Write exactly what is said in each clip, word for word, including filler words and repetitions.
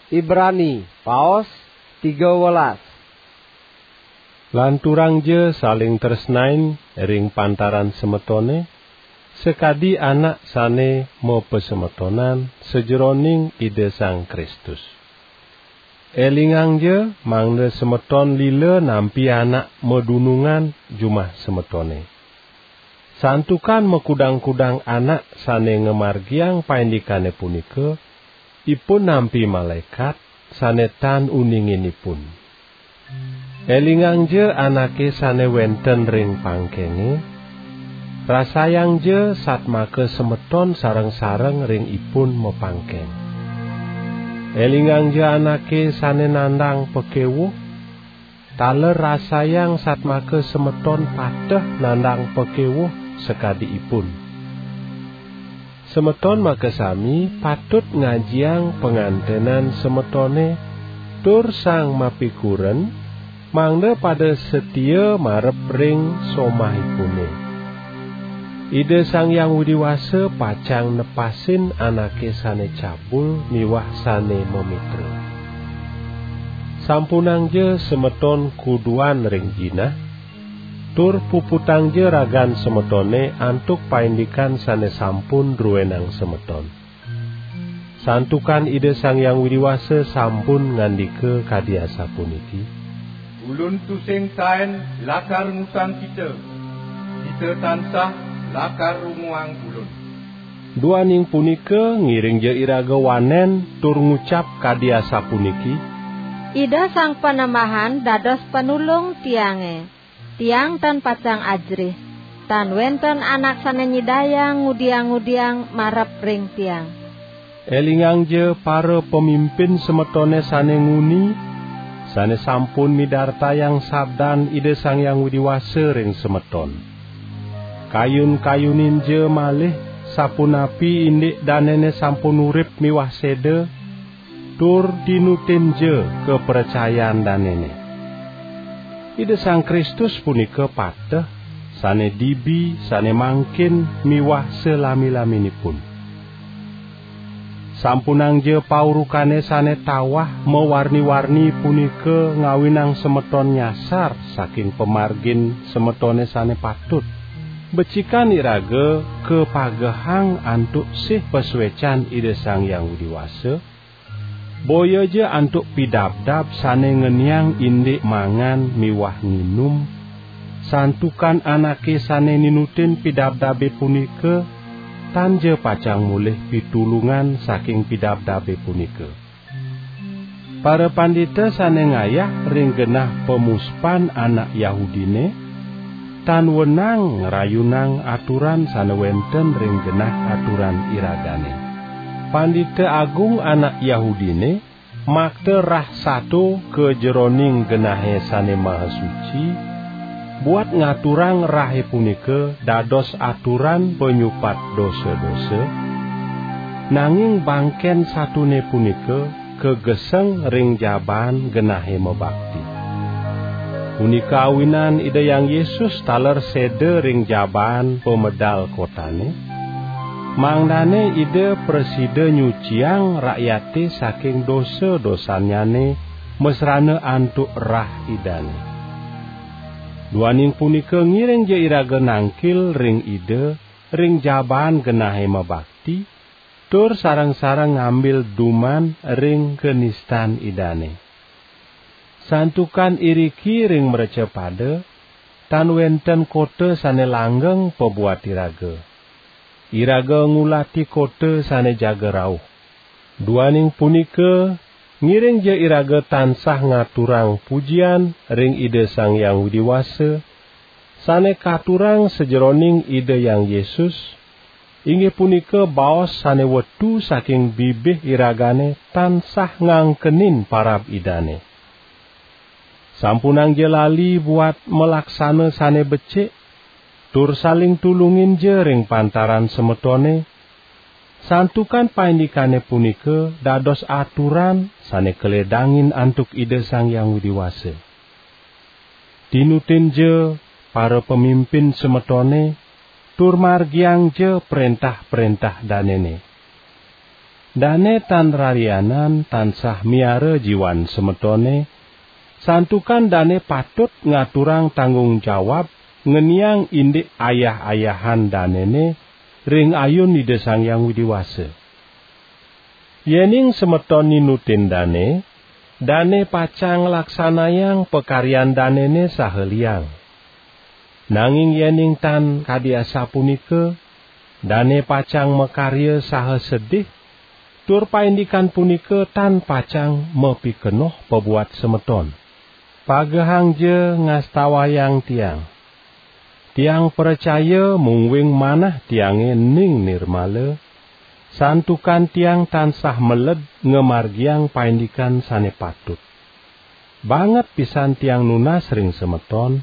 Ibrani, paos tiga welas. Lanturangja saling tresnain ring pantaran semetone, sakadi anak sane mapasemetonan sajeroning Ida Sang Kristus. Elingangja mangda semeton lila nampi anak madunungan jumah semetone. Santukan makudang-kudang anak sane ngamargiang paindikane punika, ipun nampi malaekat sane tan uninginipun. Elingangja anake sane wenten ring pangkenge, rasayangja satmaka semeton sareng-sareng ring ipun mapangkeng. Elingangja anake sane nandang pakewuh, taler rasayang satmaka semeton pateh nandang pakewuh sakadi ipun. Semeton makasami patut ngajiang pangantenan semetone tur sang mapikuren, mangda pada satia marep ring somahipune. Ida Sang Hyang Widi Wasa pacang nepasin anake sane cabul miwah sane mamitra. Sampunangja semeton kuduan ring jinah, tur puputangja ragan semetone antuk paindikan sane sampun druenang semeton. Santukan Ida Sang Hyang Widi Wasa sampun ngandika kadi asapuniki: "Ulun tusing taen lakar ngusang kita, kita tansah lakar runguang Ulun." Duaning punika, ngiringja iraga wanen tur ngucap kadi asapuniki: "Ida Sang Panembahan dados panulung tiange. Tiang tan pacang ajerih, tan wenten anak sane nyidayang ngudiang-ngudiang marep ring tiang." Elingangja para pamimpin semetone sane nguni, sane sampun midartayang sabdan Ida Sang Hyang Widi Wasa ring semeton. Kayun-kayuninja malih sapunapi indik danene sampun urip miwah seda, tur tinutinja kapracayan danene. Ida Sang Kristus punika pateh, sane dibi, sane mangkin, miwah salami-laminipun. Sampunangja paurukane sane tawah mawarni-warni punika ngawinang semeton nyasar saking pamargin semetone sane patut. Becikan iraga kapagehang antuk sih pasuecan Ida Sang Hyang Widi Wasa, boyaja antuk pidabdab sane ngeniang indik mangan miwah nginum, santukan anake sane ninutin pidabdabe punika tan ja pacang molih pitulungan saking pidabdabe punika. Parapandita sane ngayah ring genah pamuspan anak Yahudine tan wenang ngrayunang aturan sane wenten ring genah aturan iragane. Pandita Agung anak Yahudine makta rah sato ka jeroning genahe sane maha suci, buat ngaturang rahe punika dados aturan panyupat dosa-dosa, nanging bangken satone punika kageseng ring jabaan genahe mabakti. Punika awinan Ida Hyang Yesus taler seda ring jabaan pamedal kotane, mangdane Ida prasida nyuciang rakyate saking dosa-dosannyane masrana antuk rah Idane. Duaning punika, ngiringja iraga nangkil ring Ida ring jabaan genahe mabakti, tur sareng-sareng ngambil duman ring kanistan Idane. Santukan iriki ring mrecapada tan wenten kota sane langgeng pabuat iraga. Iraga ngulati kota sane jaga rauh. Duaning punika, ngiringja iraga tansah ngaturang pujian ring Ida Sang Hyang Widi Wasa, sane katurang sajeroning Ida Hyang Yesus, inggih punika baos sane wetu saking bibih iragane tansah ngangkenin parab Idane. Sampunangja lali buat malaksana sane becik, tur saling tulunginja ring pantaran semetone, santukan paindikane punika dados aturan sane kaledangin antuk Ida Sang Hyang Widi Wasa. Tinutinja para pamimpin semetone, tur margiangja prentah-prentah danene. Dane tan rarianan tansah miara jiwan semetone, santukan dane patut ngaturang tanggung jawab ngeniang indik ayah-ayahan danene ring ayun Ida Sang Hyang Widi Wasa. Yening semeton ninutin dane, dane pacang nglaksanayang pakaryan danene saha liang. Nanging yening tan kadi asapunika, dane pacang makarya saha sedih, tur paindikan punika tan pacang mapikenoh pabuat semeton. Pagehangja ngastawayang tiang. Tiang pracaya mungguing manah tiange ning nirmala, santukan tiang tansah meled ngamargiang paindikan sane patut. Banget pisan tiang nunas ring semeton,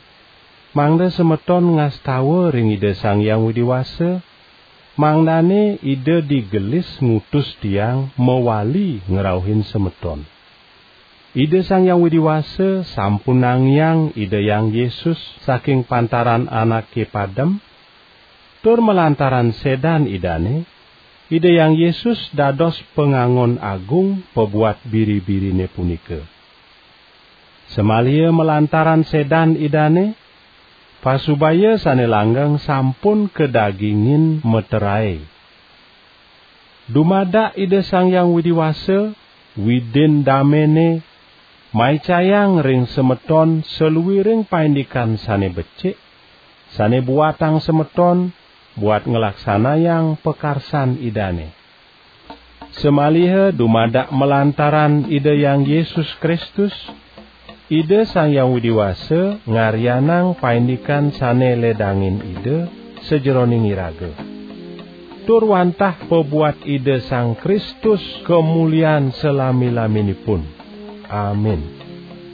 mangda semeton ngastawa ring Ida Sang Hyang Widi Wasa, mangdane Ida digelis ngutus tiang mawali ngrauhin semeton. Ida Sang Hyang Widi Wasa sampun nangiang Ida Hyang Yesus saking pantaran anake padem, tur malantaran sedan Idane, Ida Hyang Yesus dados pangangon agung pabuat biri-birine punika. Samaliha malantaran sedan Idane, pasubaya sane langgeng sampun kadagingin materae. Dumadak Ida Sang Hyang Widi Wasa, Widin damene, maicayang ring semeton saluiring paindikan sane becik, sane buatang semeton buat nglaksanayang pakarsan Idane. Samaliha dumadak malantaran Ida Hyang Yesus Kristus, Ida Sang Hyang Widi Wasa ngaryanang paindikan sane ledangin Ida sajeroning iraga. Tur wantah pabuat Ida Sang Kristus kamulian salami-laminipun. Amin.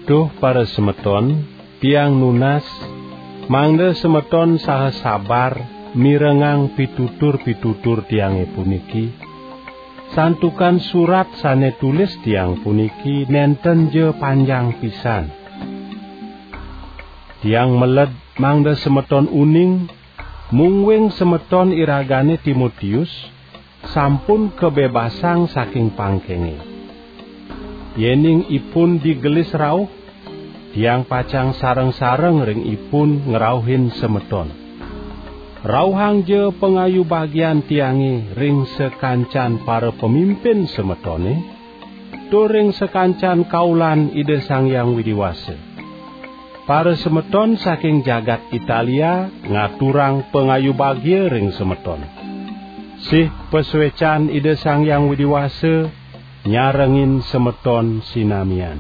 Duh parasemeton, tiang nunas, mangda semeton saha sabar mirengang pitutur-pitutur tiange puniki, santukan surat sane tulis tiang puniki nenten ja panjang pisan. Tiang meled mangda semeton uning, mungguing semeton iragane Timotius sampun kabebasang saking pangkenge. Yening ipun digelis rauh, tiang pacang sareng-sareng ring ipun ngrauhin semeton. Rauhangja pangayu bagian tiange ring sakancan para pamimpin semetone, tur ring sakancan kaulan Ida Sang Hyang Widi Wasa. Parasemeton saking jagat Italia ngaturang pangayu bagia ring semeton. Sih pasuecan Ida Sang Hyang Widi Wasa nyarengin semeton sinamian.